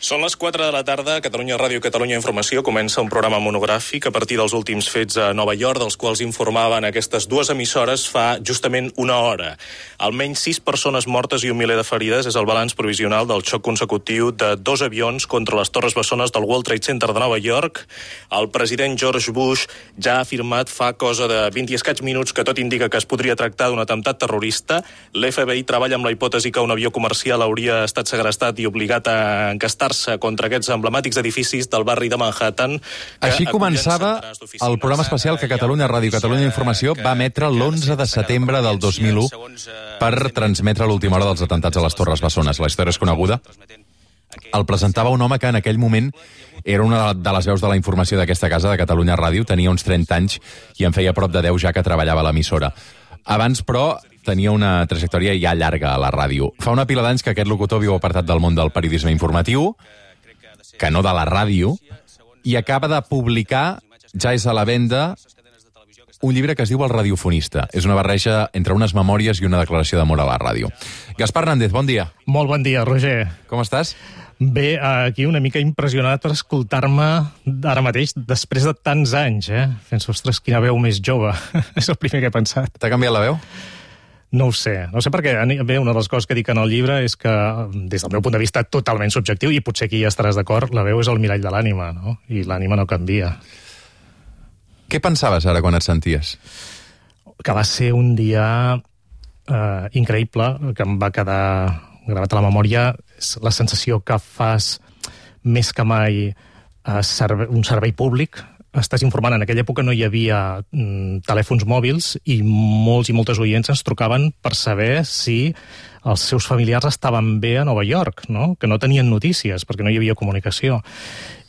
Són les 4 de la tarda, Catalunya Ràdio, Catalunya Informació comença un programa monogràfic a partir dels últims fets a Nova York, dels quals informaven aquestes dues emissores fa justament una hora. Almenys 6 persones mortes i 1 miler de ferides és el balanç provisional del xoc consecutiu de 2 avions contra les torres bessones del World Trade Center de Nova York. El president George Bush ja ha afirmat fa cosa de 20 i escaig minuts que tot indica que es podria tractar d'un atemptat terrorista. L'FBI treballa amb la hipòtesi que un avió comercial hauria estat segrestat i obligat a encastar-se contra aquests emblemàtics edificis del barri de Manhattan. Així començava el programa especial que Catalunya Ràdio, Catalunya Informació va emetre l'11 de setembre del 2001 per transmetre l'última hora dels atemptats a les Torres Bessones. La història és coneguda. El presentava un home que en aquell moment era una de les veus de la informació d'aquesta casa, de Catalunya Ràdio, tenia uns 30 anys i en feia prop de 10 ja que treballava a l'emissora. Abans, però, tenia una trajectòria ja llarga a la ràdio. Fa una pila d'anys que aquest locutor viu apartat del món del periodisme informatiu, que no de la ràdio, i acaba de publicar, ja és a la venda, un llibre que es diu El radiofonista. És una barreja entre unes memòries i una declaració d'amor a la ràdio. Gaspar Hernández, bon dia. Molt bon dia, Roger. Com estàs? Bé, aquí una mica impressionat per escoltar-me ara mateix, després de tants anys, Penso, ostres, quina veu més jove. És el primer que he pensat. T'ha canviat la veu? No ho sé perquè, bé, una de les coses que dic en el llibre és que, des del meu punt de vista totalment subjectiu, i potser aquí ja estaràs d'acord, la veu és el mirall de l'ànima, no? I l'ànima no canvia. Què pensaves ara quan et senties? Que va ser un dia increïble, que em va quedar gravat a la memòria. És la sensació que fas més que mai un servei públic. Estàs informant. En aquella època no hi havia telèfons mòbils i molts i moltes oients ens trucaven per saber si els seus familiars estaven bé a Nova York, no? Que no tenien notícies perquè no hi havia comunicació.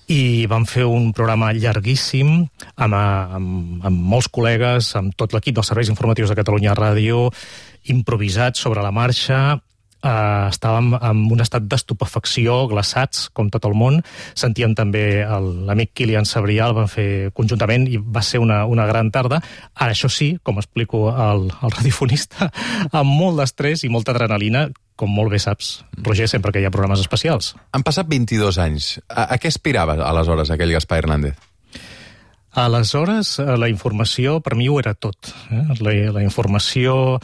I vam fer un programa llarguíssim amb molts col·legues, amb tot l'equip dels serveis informatius de Catalunya Ràdio, improvisats sobre la marxa. Estàvem en un estat d'estupefacció, glaçats, com tot el món. Sentíem també l'amic Kilian Sabrià, el vam fer conjuntament i va ser una gran tarda. Ara, això sí, com explico al radiofonista, amb molt d'estrès i molta adrenalina, com molt bé saps, Roger, sempre que hi ha programes especials. Han passat 22 anys. A què aspirava aleshores aquell Gaspar Hernández? Aleshores, la informació per mi ho era tot. La informació,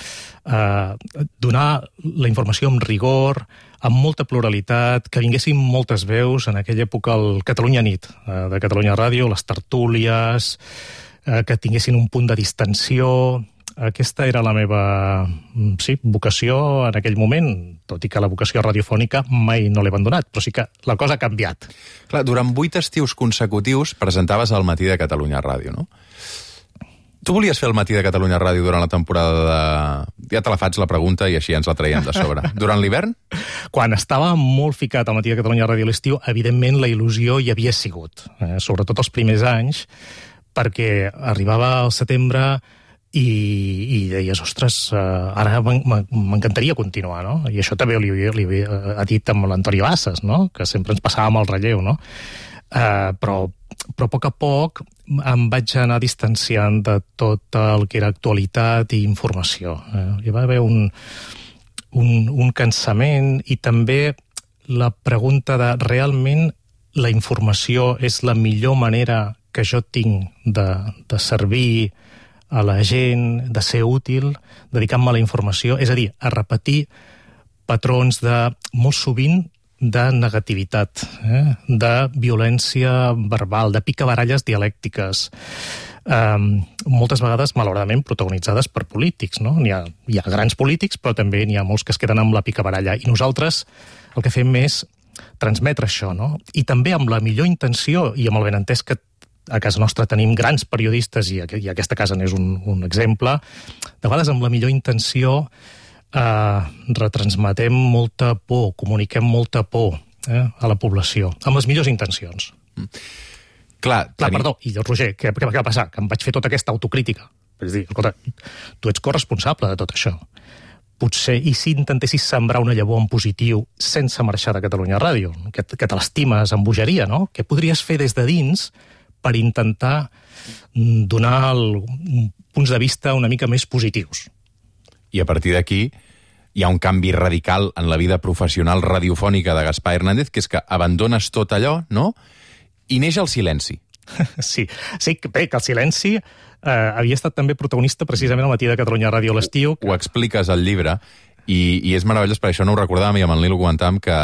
donar la informació amb rigor, amb molta pluralitat, que vinguessin moltes veus. En aquella època el Catalunya Nit, de Catalunya Ràdio, les tertúlies, que tinguessin un punt de distensió. Aquesta era la meva vocació en aquell moment, tot i que la vocació radiofònica mai no l'he abandonat, però sí que la cosa ha canviat. Clar, durant 8 estius consecutius presentaves el Matí de Catalunya Ràdio, no? Tu volies fer el Matí de Catalunya Ràdio durant la temporada de... Ja te la faig la pregunta i així ens la traiem de sobre. Durant l'hivern? Quan estava molt ficat al Matí de Catalunya Ràdio a l'estiu, evidentment la il·lusió hi havia sigut, sobretot els primers anys, perquè arribava al setembre i deies, ostres, ara m'encantaria continuar, no? I això també li ha dit amb l'Antoni Bassas, no? Que sempre ens passàvem el relleu, no? Però a poc em vaig anar distanciant de tot el que era actualitat i informació. Hi va haver un cansament i també la pregunta de realment la informació és la millor manera que jo tinc de servir a la gent, de ser útil, dedicant-me a la informació, és a dir, a repetir patrons molt sovint de negativitat, de violència verbal, de picabaralles dialèctiques, moltes vegades, malauradament, protagonitzades per polítics, no? Hi ha grans polítics, però també n'hi ha molts que es queden amb la picabaralla. I nosaltres el que fem és transmetre això, no? I també amb la millor intenció i amb el benentès que a casa nostra tenim grans periodistes i aquesta casa n'és un exemple. De vegades, amb la millor intenció, retransmetem molta por, comuniquem molta por a la població, amb les millors intencions. Perdó, i Roger, què va passar? Que em vaig fer tota aquesta autocrítica. És dir, escolta, tu ets corresponsable de tot això. Potser, i si intentessis sembrar una llavor en positiu sense marxar de Catalunya Ràdio, que te l'estimes amb bogeria, no? Què podries fer des de dins per intentar donar punts de vista una mica més positius? I a partir d'aquí hi ha un canvi radical en la vida professional radiofònica de Gaspar Hernández, que és que abandones tot allò, no?, i neix el silenci. Sí, bé, que el silenci havia estat també protagonista precisament al Matí de Catalunya Ràdio a l'estiu. Ho expliques al llibre, i és meravellós, per això no ho recordàvem, i amb en Lil ho comentàvem, que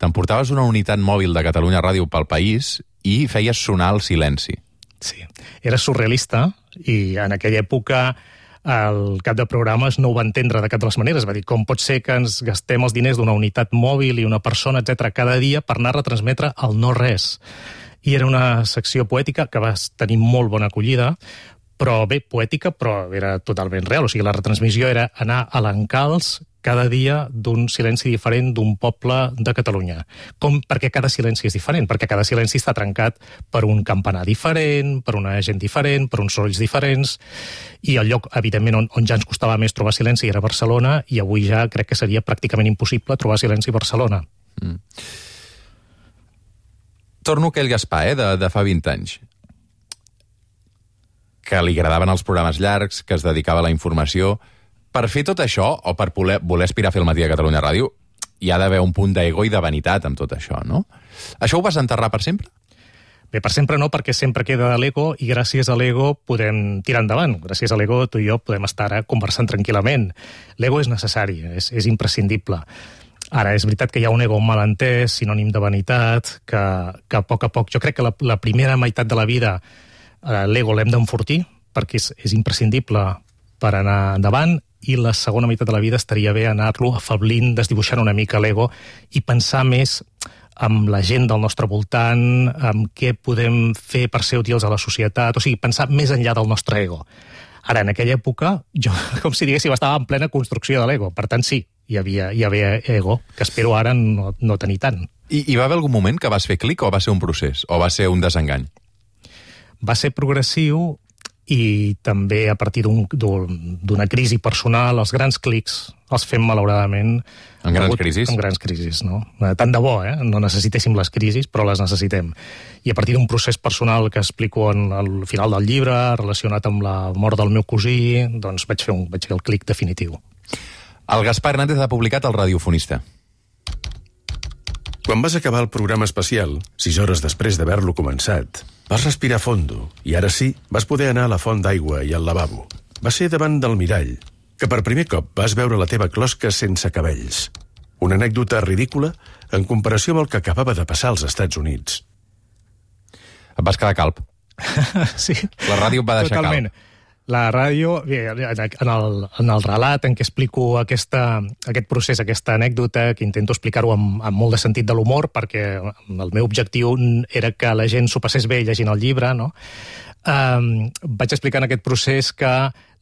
t'emportaves una unitat mòbil de Catalunya Ràdio pel país i feies sonar el silenci. Sí, era surrealista, i en aquella època el cap de programes no ho va entendre de cap de les maneres. Va dir, com pot ser que ens gastem els diners d'una unitat mòbil i una persona, etc cada dia per anar a retransmetre el no-res. I era una secció poètica que va tenir molt bona acollida, però bé, poètica, però era totalment real. O sigui, la retransmissió era anar a l'encalç cada dia d'un silenci diferent d'un poble de Catalunya. Perquè cada silenci és diferent, perquè cada silenci està trencat per un campanar diferent, per una gent diferent, per uns sorolls diferents, i el lloc, evidentment, on ja ens costava més trobar silenci era Barcelona, i avui ja crec que seria pràcticament impossible trobar silenci a Barcelona. Torno a aquell Gaspar, de fa 20 anys, que li agradaven els programes llargs, que es dedicava a la informació. Per fer tot això, o per voler aspirar a fer el Matí de Catalunya Ràdio, hi ha d'haver un punt d'ego i de vanitat amb tot això, no? Això ho vas enterrar per sempre? Bé, per sempre no, perquè sempre queda l'ego, i gràcies a l'ego podem tirar endavant. Gràcies a l'ego tu i jo podem estar ara conversant tranquil·lament. L'ego és necessari, és imprescindible. Ara, és veritat que hi ha un ego malentès, sinònim de vanitat, que a poc, jo crec que la primera meitat de la vida l'ego l'hem d'enfortir, perquè és imprescindible per anar endavant, i la segona meitat de la vida estaria bé anar-lo afablint, desdibuixant una mica l'ego i pensar més amb la gent del nostre voltant, amb què podem fer per ser útils a la societat, o sigui, pensar més enllà del nostre ego. Ara, en aquella època, jo, com si diguéssim, estava en plena construcció de l'ego, per tant, sí, hi havia ego, que espero ara no tenir tant. I va haver algun moment que vas fer clic, o va ser un procés, o va ser un desengany? Va ser progressiu, i també a partir d'una crisi personal, els grans clics els fem malauradament en grans crisis? En grans crisis, no? Tant de bo, no necessitéssim les crisis, però les necessitem. I a partir d'un procés personal que explico al final del llibre, relacionat amb la mort del meu cosí, doncs vaig fer el clic definitiu. El Gaspar Hernández ha publicat El radiofonista. Quan vas acabar el programa especial, 6 hores després d'haver-lo començat, vas respirar fondo i ara sí vas poder anar a la font d'aigua i al lavabo. Va ser davant del mirall que per primer cop vas veure la teva closca sense cabells. Una anècdota ridícula en comparació amb el que acabava de passar als Estats Units. Et vas quedar calb. Sí. La ràdio et va deixar totalment. calb. La ràdio, en el relat en què explico aquest procés, aquesta anècdota, que intento explicar-ho amb molt de sentit de l'humor, perquè el meu objectiu era que la gent s'ho passés bé llegint el llibre, no? Vaig explicar en aquest procés que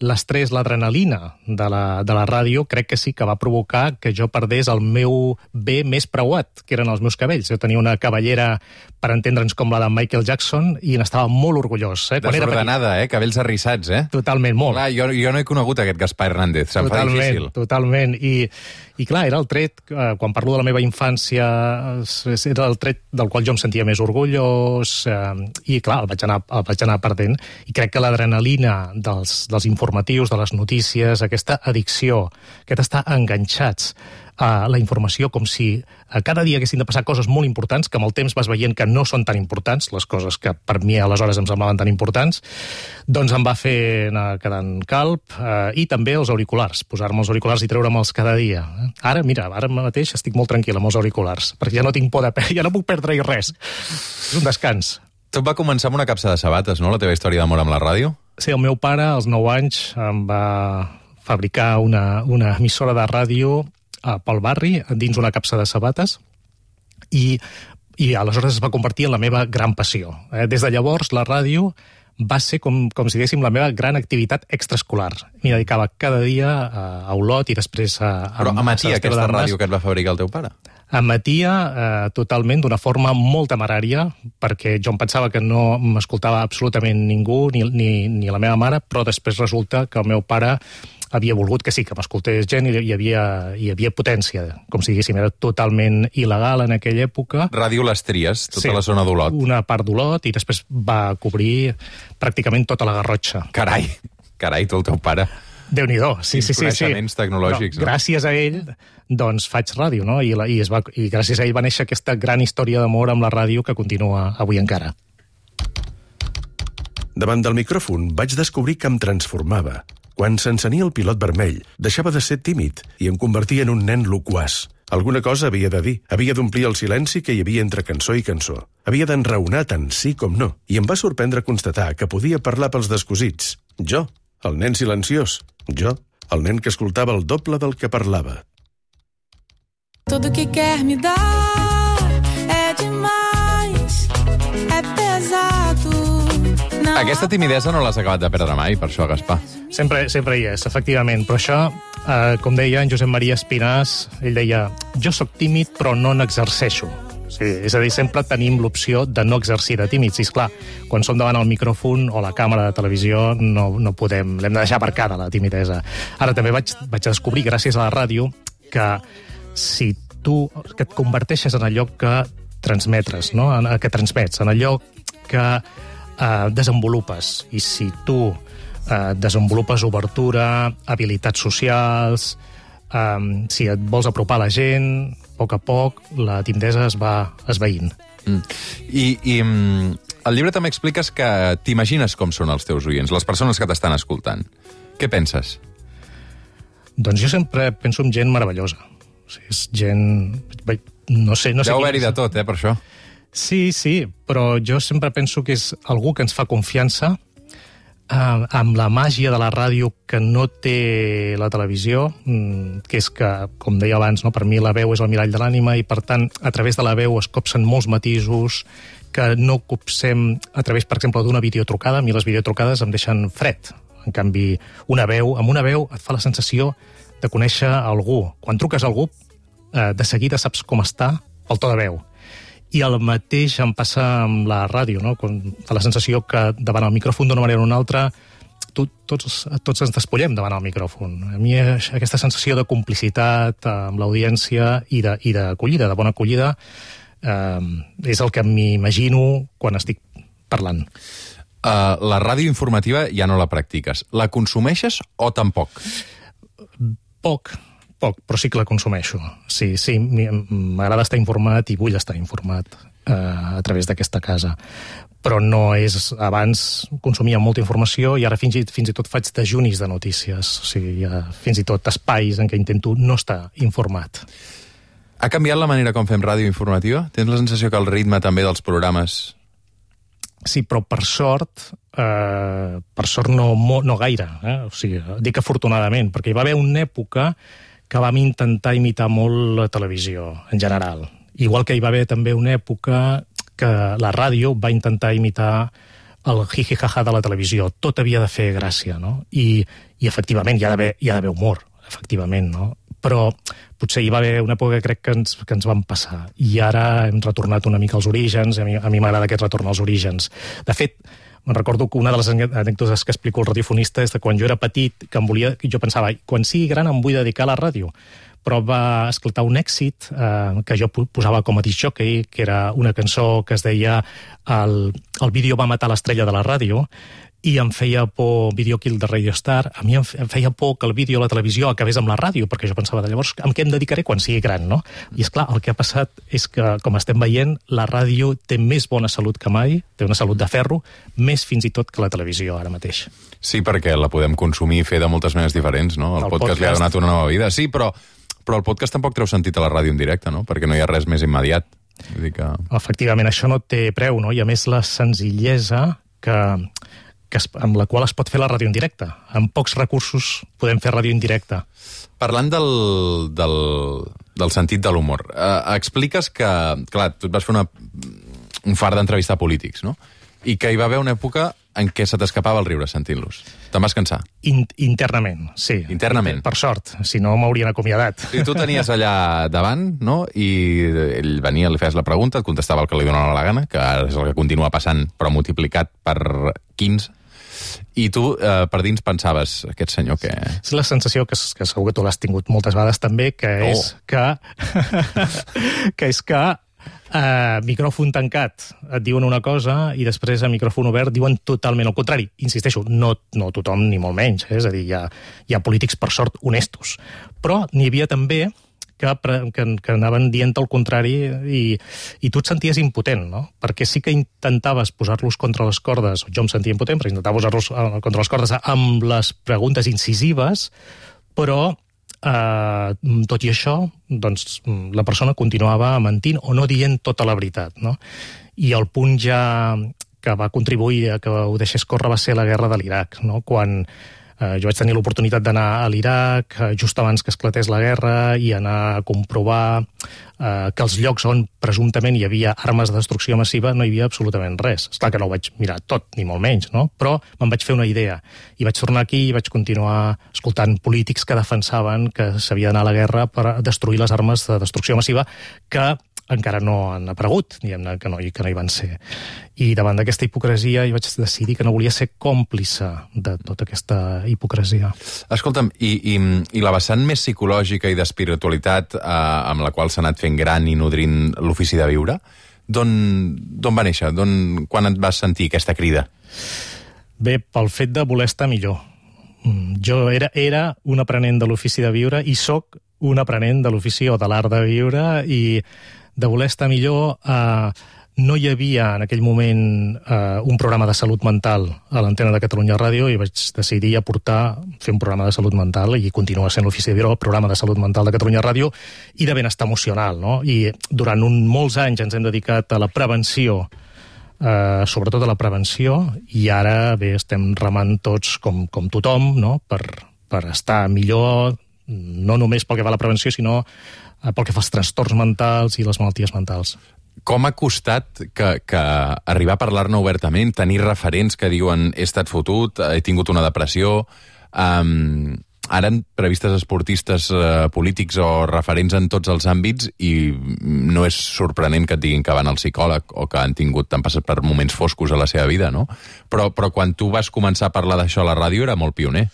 l'estrès, l'adrenalina de la ràdio, crec que sí que va provocar que jo perdés el meu bé més preuat, que eren els meus cabells. Jo tenia una cabellera, per entendre'ns, com la de Michael Jackson, i n'estava molt orgullós. Desordenada, cabells arrissats, Totalment, molt. Clar, jo no he conegut aquest Gaspar Hernández, se'm fa difícil. Totalment, i clar, era el tret, quan parlo de la meva infància, era el tret del qual jo em sentia més orgullós, i clar, el vaig anar perdent, i crec que l'adrenalina dels informatius, de les notícies, aquesta addicció, aquest estar enganxats a la informació, com si cada dia haguessin de passar coses molt importants, que amb el temps vas veient que no són tan importants, les coses que per mi aleshores em semblaven tan importants, doncs em va fer anar quedant calb, i també els auriculars, posar-me els auriculars i treure'ls cada dia. Ara mateix estic molt tranquil amb els auriculars, perquè ja no tinc por ja no puc perdre-hi res. És un descans. Tot va començar amb una capsa de sabates, no?, la teva història d'amor amb la ràdio? Sí, el meu pare, als 9 anys, em va fabricar una emissora de ràdio pel barri, dins una capsa de sabates, i aleshores es va convertir en la meva gran passió. Des de llavors, la ràdio va ser, com si diguéssim, la meva gran activitat extraescolar. M'hi dedicava cada dia a Olot i després a... Però emetia aquesta ràdio que et va fabricar el teu pare? Emetia totalment, d'una forma molt temerària, perquè jo em pensava que no m'escoltava absolutament ningú, ni la meva mare, però després resulta que el meu pare havia volgut que sí, que m'escoltés gent, i hi havia potència, com si diguéssim, era totalment il·legal en aquella època. Ràdio Les Tries, tota la zona d'Olot. Una part d'Olot, i després va cobrir pràcticament tota la Garrotxa. Carai, tu, el teu pare. Déu-n'hi-do, sí. Coneixements tecnològics. Però, gràcies a ell, doncs faig ràdio, no? I gràcies a ell va néixer aquesta gran història d'amor amb la ràdio que continua avui encara. Davant del micròfon vaig descobrir que em transformava. Quan s'encenia el pilot vermell, deixava de ser tímid i em convertia en un nen loquaç. Alguna cosa havia de dir, havia d'omplir el silenci que hi havia entre cançó i cançó. Havia d'enraonar tant sí com no, i em va sorprendre constatar que podia parlar pels descosits. Jo, el nen silenciós. Jo, el nen que escoltava el doble del que parlava. Todo que quer me dar é demais, é pesado. Aquesta timidesa no l'has acabat de perdre mai, per això, Gaspar. Sempre hi és, efectivament. Però això, com deia en Josep Maria Espinàs, ell deia, jo sóc tímid però no n'exerceixo. Sí, és a dir, sempre tenim l'opció de no exercir de tímids. I, esclar, quan som davant el micròfon o la càmera de televisió no podem, l'hem de deixar aparcada, la timidesa. Ara també vaig descobrir, gràcies a la ràdio, que si tu que et converteixes en allò que transmetres, no? Que transmets, en allò que desenvolupes. I si tu desenvolupes obertura, habilitats socials, si et vols apropar a la gent, a poc, la timidesa es va esvaint. I al llibre també expliques que t'imagines com són els teus oients, les persones que t'estan escoltant. Què penses? Doncs jo sempre penso en gent meravellosa. O sigui, és gent... No sé deu haver-hi de tot, per això. Sí, però jo sempre penso que és algú que ens fa confiança, amb la màgia de la ràdio que no té la televisió, que és que, com deia abans, no, per mi la veu és el mirall de l'ànima i, per tant, a través de la veu es copsen molts matisos que no copsem a través, per exemple, d'una videotrucada. A mi les videotrucades em deixen fred. En canvi, amb una veu et fa la sensació de conèixer algú. Quan truques a algú, de seguida saps com està pel to de veu. I el mateix em passa amb la ràdio, no? Quan fa la sensació que davant el micròfon d'una manera o una altra tots ens despullem davant el micròfon. A mi aquesta sensació de complicitat amb l'audiència i d'acollida, de bona acollida, és el que m'imagino quan estic parlant. La ràdio informativa ja no la practiques. La consumeixes o tampoc? Poc, però sí que la consumeixo. Sí, m'agrada estar informat i vull estar informat a través d'aquesta casa. Però no és... Abans consumia molta informació i ara fins i tot faig dejunis de notícies. O sigui, hi ha fins i tot espais en què intento no estar informat. Ha canviat la manera com fem ràdio informativa? Tens la sensació que el ritme també dels programes... Sí, però per sort no gaire. O sigui, dic afortunadament, perquè hi va haver una època que vam intentar imitar molt la televisió, en general. Igual que hi va haver també una època que la ràdio va intentar imitar el jiji-jaja de la televisió. Tot havia de fer gràcia, no? I efectivament, hi ha d'haver humor, efectivament, no? Però potser hi va haver una època que crec que ens vam passar. I ara hem retornat una mica als orígens, a mi m'agrada aquest retorn als orígens. De fet, me'n recordo que una de les anècdotes que explico al radiofonista és que quan jo era petit, jo pensava, quan sigui gran em vull dedicar a la ràdio. Però va esclatar un èxit que jo posava com a discjòquei, que era una cançó que es deia El vídeo va matar l'estrella de la ràdio, i em feia por Video Kill de Radio Star. A mi em feia por que el vídeo a la televisió acabés amb la ràdio, perquè jo pensava, llavors, amb què em dedicaré quan sigui gran, no? I, esclar, el que ha passat és que, com estem veient, la ràdio té més bona salut que mai, té una salut de ferro, més fins i tot que la televisió ara mateix. Sí, perquè la podem consumir i fer de moltes maneres diferents, no? El podcast li ha donat una nova vida. Sí, però el podcast tampoc treu sentit a la ràdio en directe, no? Perquè no hi ha res més immediat. Vull dir que... Efectivament, això no té preu, no? I a més la senzillesa amb la qual es pot fer la ràdio en directe. Amb pocs recursos podem fer ràdio en directe. Parlant del sentit de l'humor, expliques que, clar, tu et vas fer un fart d'entrevistar polítics, no? I que hi va haver una època en què se t'escapava el riure sentint-los. Te'n vas cansar? Internament, sí. Internament? Per sort, si no m'haurien acomiadat. I tu tenies allà davant, no? I ell venia, li feies la pregunta, et contestava el que li donava la gana, que ara és el que continua passant, però multiplicat per 15. I tu, per dins, pensaves, aquest senyor que... És la sensació que segur que tu l'has tingut moltes vegades també, que és que micròfon tancat et diuen una cosa i després a micròfon obert diuen totalment el contrari. Insisteixo, no tothom ni molt menys, és a dir, hi ha polítics, per sort, honestos. Però n'hi havia també que anaven dient el contrari i tu et senties impotent, no? Perquè sí que intentaves posar-los contra les cordes, jo em sentia impotent perquè intentava posar-los contra les cordes amb les preguntes incisives, però tot i això, doncs, la persona continuava mentint o no dient tota la veritat, no? I el punt ja que va contribuir a que ho deixés córrer va ser la guerra de l'Iraq, no? Quan jo vaig tenir l'oportunitat d'anar a l'Iraq just abans que esclatés la guerra i anar a comprovar que els llocs on presumptament hi havia armes de destrucció massiva no hi havia absolutament res. Esclar que no ho vaig mirar tot, ni molt menys, no? Però me'n vaig fer una idea. I vaig tornar aquí i vaig continuar escoltant polítics que defensaven que s'havia d'anar a la guerra per destruir les armes de destrucció massiva que encara no han aparegut, diguem-ne, que no hi van ser. I davant d'aquesta hipocresia vaig decidir que no volia ser còmplice de tota aquesta hipocresia. Escolta'm, i la vessant més psicològica i d'espiritualitat amb la qual s'ha anat fent gran i nodrint l'ofici de viure, d'on va néixer? Quan et vas sentir aquesta crida? Bé, pel fet de voler estar millor. Jo era un aprenent de l'ofici de viure i sóc un aprenent de l'ofici o de l'art de viure i de voler estar millor. No hi havia en aquell moment un programa de salut mental a l'antena de Catalunya Ràdio i vaig decidir fer un programa de salut mental i continua sent l'ofici de viure el programa de salut mental de Catalunya Ràdio i de benestar emocional, no? I durant molts anys ens hem dedicat a la prevenció, sobretot a la prevenció, i ara bé, estem remant tots com tothom, no? Per estar millor, no només pel que fa a la prevenció, sinó pel que fa als trastorns mentals i les malalties mentals. Com ha costat que arribar a parlar-ne obertament, tenir referents que diuen he estat fotut, he tingut una depressió, ara han previstes esportistes, polítics o referents en tots els àmbits i no és sorprenent que et diguin que van al psicòleg o que han passat per moments foscos a la seva vida, no? Però quan tu vas començar a parlar d'això a la ràdio era molt pioner.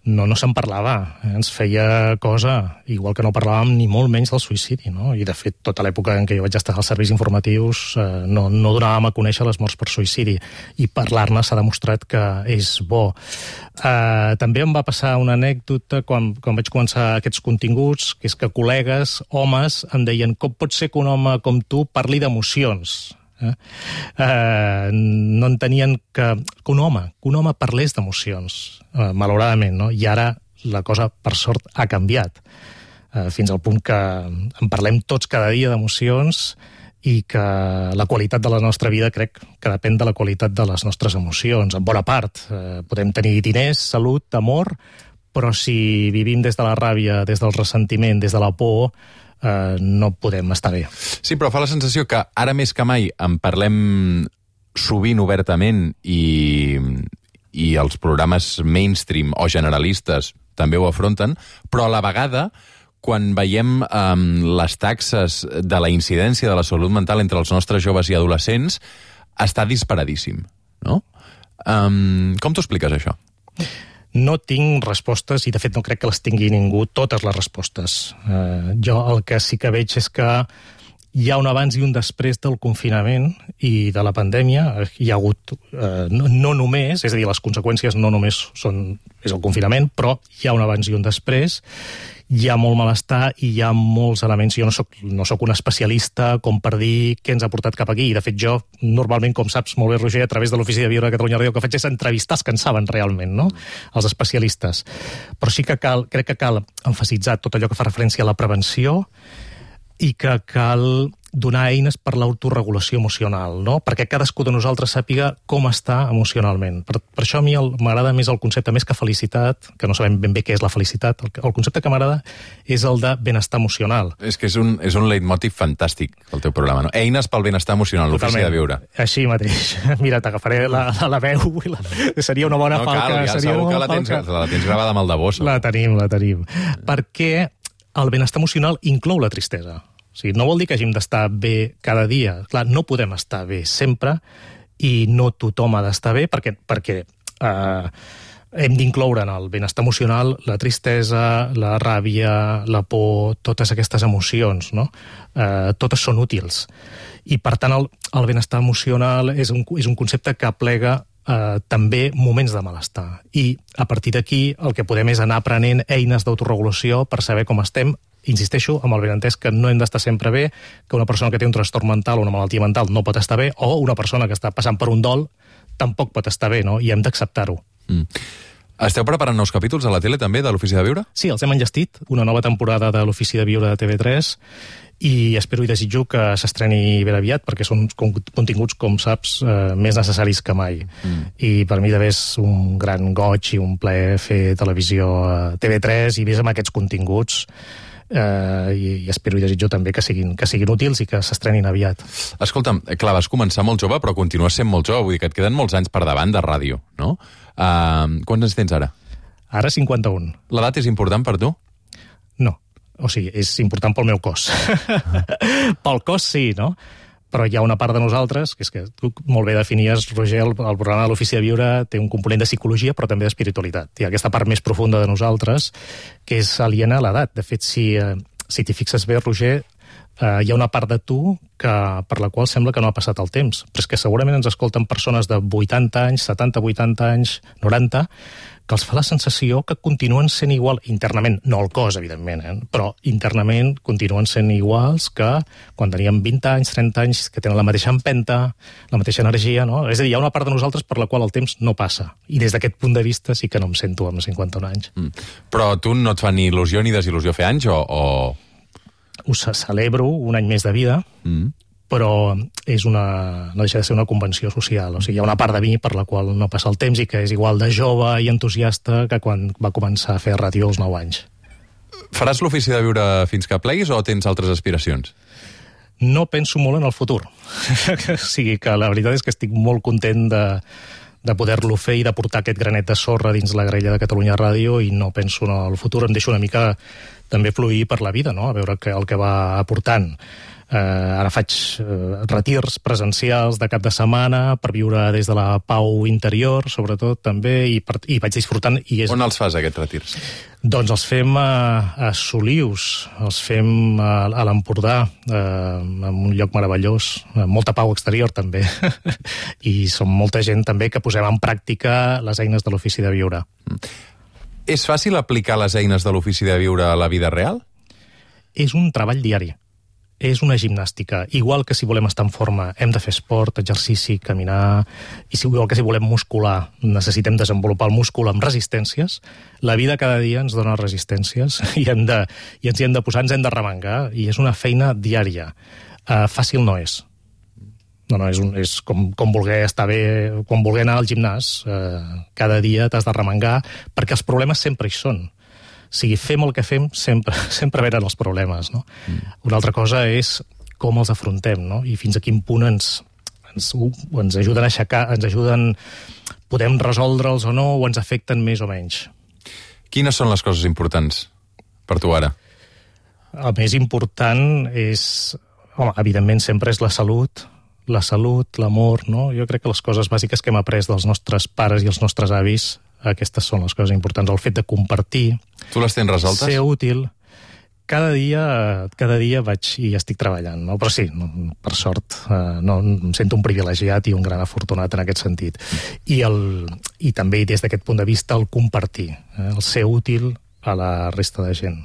No se'n parlava, ens feia cosa, igual que no parlàvem ni molt menys del suïcidi, no? I de fet tota l'època en què jo vaig estar als serveis informatius no donàvem a conèixer les morts per suïcidi i parlar-ne s'ha demostrat que és bo. També em va passar una anècdota quan vaig començar aquests continguts, que és que col·legues, homes, em deien com pot ser que un home com tu parli d'emocions? No entenien que un home parlés d'emocions, malauradament, no? I ara la cosa, per sort, ha canviat, fins al punt que en parlem tots cada dia d'emocions i que la qualitat de la nostra vida crec que depèn de la qualitat de les nostres emocions, en bona part. Podem tenir diners, salut, amor, però si vivim des de la ràbia, des del ressentiment, des de la por, no podem estar bé. Sí, però fa la sensació que ara més que mai en parlem sovint obertament i els programes mainstream o generalistes també ho afronten, però a la vegada quan veiem les taxes de la incidència de la salut mental entre els nostres joves i adolescents està disparadíssim, no? Com t'ho expliques, això? No tinc respostes i, de fet, no crec que les tingui ningú, totes les respostes. Jo el que sí que veig és que hi ha un abans i un després del confinament i de la pandèmia. Hi ha hagut, no només, és a dir, les conseqüències no només és el confinament, però hi ha un abans i un després. Hi ha molt malestar i hi ha molts elements. Jo no soc un especialista com per dir què ens ha portat cap aquí. I, de fet, jo, normalment, com saps molt bé, Roger, a través de l'Ofici de Viure de Catalunya Ràdio, el que faig és entrevistar els que en saben realment, no? Els especialistes. Però sí que crec que cal emfasitzar tot allò que fa referència a la prevenció i que cal donar eines per l'autoregulació emocional, no? Perquè cadascú de nosaltres sàpiga com està emocionalment. Per això a mi m'agrada més el concepte, més que felicitat, que no sabem ben bé què és la felicitat, el concepte que m'agrada és el de benestar emocional. És que és un leitmotiv fantàstic, el teu programa, no? Eines pel benestar emocional, l'Ofici de Viure. Així mateix. Mira, t'agafaré la veu i seria una bona falca. No cal, ja segur que la tens gravada amb el de bossa. La tenim. Perquè el benestar emocional inclou la tristesa. O sigui, no vol dir que hàgim d'estar bé cada dia. Clar, no podem estar bé sempre i no tothom ha d'estar bé perquè hem d'incloure en el benestar emocional la tristesa, la ràbia, la por, totes aquestes emocions, no? Totes són útils. I, per tant, el benestar emocional és un concepte que aplega també moments de malestar. I, a partir d'aquí, el que podem és anar aprenent eines d'autoregulació per saber com estem. Insisteixo, amb el benentès que no hem d'estar sempre bé, que una persona que té un trastorn mental o una malaltia mental no pot estar bé, o una persona que està passant per un dol tampoc pot estar bé, no? I hem d'acceptar-ho. Esteu preparant nous capítols a la tele, també, de l'Ofici de Viure? Sí, els hem enllestit, una nova temporada de l'Ofici de Viure de TV3, i espero i desitjo que s'estreni ben aviat, perquè són continguts, com saps, més necessaris que mai. I per mi també és un gran goig i un plaer fer televisió a TV3 i més amb aquests continguts, i espero i desitjo també que siguin útils i que s'estrenin aviat. Escolta'm, clar, vas començar molt jove, però continues sent molt jove, vull dir que et queden molts anys per davant de ràdio, no? Quants anys tens ara? Ara 51. L'edat és important per tu? No. O sigui, és important pel meu cos. Pel cos sí, no? Però hi ha una part de nosaltres, que és que tu molt bé definies, Roger, el programa de l'Ofici de Viure té un component de psicologia, però també d'espiritualitat. Hi ha aquesta part més profunda de nosaltres, que és aliena a l'edat. De fet, si t'hi fixes bé, Roger, hi ha una part de tu per la qual sembla que no ha passat el temps. Però és que segurament ens escolten persones de 80 anys, 70, 80 anys, 90, que els fa la sensació que continuen sent igual, internament, no el cos, evidentment, però internament continuen sent iguals que quan teníem 20 anys, 30 anys, que tenen la mateixa empenta, la mateixa energia, no? És a dir, hi ha una part de nosaltres per la qual el temps no passa. I des d'aquest punt de vista sí que no em sento amb 51 anys. Però tu no et fa ni il·lusió ni desil·lusió fer anys, o...? Ho celebro, un any més de vida, però no deixa de ser una convenció social. O sigui, hi ha una part de mi per la qual no passa el temps i que és igual de jove i entusiasta que quan va començar a fer ràdio als 9 anys. Faràs l'Ofici de Viure fins que pleguis o tens altres aspiracions? No penso molt en el futur. O sigui que la veritat és que estic molt content de poder-lo fer i de portar aquest granet de sorra dins la grella de Catalunya Ràdio i no penso en el futur. Em deixo una mica també fluir per la vida, no? A veure el que va aportant. Ara faig retirs presencials de cap de setmana per viure des de la pau interior, sobretot, també, i vaig disfrutant. On els fas, aquests retirs? Doncs els fem a Solius, els fem a l'Empordà, en un lloc meravellós, amb molta pau exterior, també. I som molta gent, també, que posem en pràctica les eines de l'Ofici de Viure. És fàcil aplicar les eines de l'Ofici de Viure a la vida real? És un treball diari. És una gimnàstica. Igual que si volem estar en forma hem de fer esport, exercici, caminar, i igual que si volem muscular necessitem desenvolupar el múscul amb resistències, la vida cada dia ens dona resistències i ens hi hem de posar, ens hem de remengar, i és una feina diària. Fàcil no és. No, és com voler estar bé, com voler anar al gimnàs. Cada dia t'has de remengar, perquè els problemes sempre hi són. O sigui, fem el que fem, sempre venen els problemes, no? Una altra cosa és com els afrontem, no? I fins a quin punt ens ajuden a aixecar, podem resoldre'ls o no, o ens afecten més o menys. Quines són les coses importants per tu ara? El més important és, evidentment sempre és la salut, l'amor, no? Jo crec que les coses bàsiques que hem après dels nostres pares i els nostres avis, aquestes són les coses importants. El fet de compartir. Tu les tens resoltes? Ser útil. Cada dia vaig i estic treballant, no? Però sí, per sort, em sento un privilegiat i un gran afortunat en aquest sentit. I també des d'aquest punt de vista el compartir, el ser útil a la resta de gent.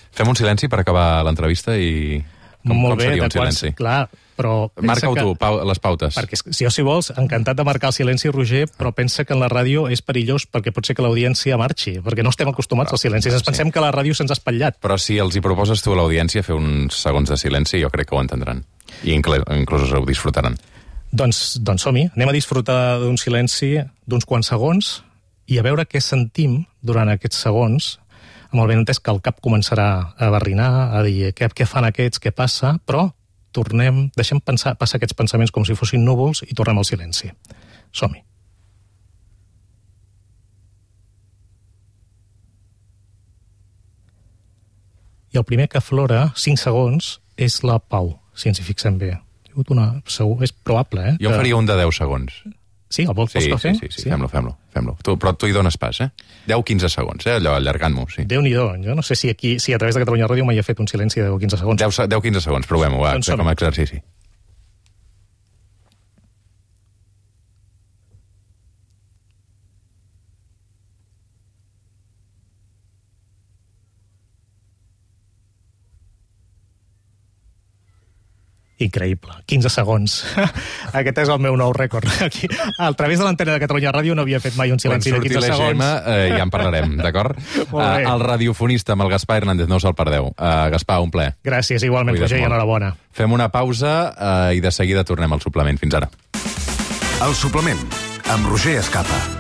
Fem un silenci per acabar l'entrevista i... Molt bé, seria un silenci? Clar, però... Marca-ho tu, les pautes. Perquè si vols, encantat de marcar el silenci, Roger, però pensa que en la ràdio és perillós perquè pot ser que l'audiència marxi, perquè no estem acostumats als silencis. Ens pensem que la ràdio se'ns ha espatllat. Però si els hi proposes tu a l'audiència fer uns segons de silenci, jo crec que ho entendran. I inclús ho disfrutaran. Doncs som-hi. Anem a disfrutar d'un silenci d'uns quants segons i a veure què sentim durant aquests segons, amb el benentès que el cap començarà a barrinar, a dir què fan aquests, què passa, però deixem passar aquests pensaments com si fossin núvols i tornem al silenci. Som-hi. I el primer que aflora, 5 segons, és la pau, si ens hi fixem bé. És probable, Jo faria un de 10 segons. Sí, el vols que fem? Sí, fem-lo. Però tu hi dones pas, 10-15 segons, allò, allargant-m'ho, sí. Déu-n'hi-do, jo no sé si a través de Catalunya Ràdio mai he fet un silenci de 10-15 segons. 10-15 segons, provem-ho, com a exercici. Increïble, 15 segons. Aquest és el meu nou rècord. Aquí, a través de l'antena de Catalunya Ràdio no havia fet mai un silenci de 15 segons. Quan surti l'EGM ja en parlarem, d'acord? El radiofonista amb el Gaspar Hernández, no us el perdeu. Gaspar, un plaer. Gràcies, igualment, Roger, i enhorabona. Fem una pausa i de seguida tornem al suplement. Fins ara. El suplement, amb Roger Escapa.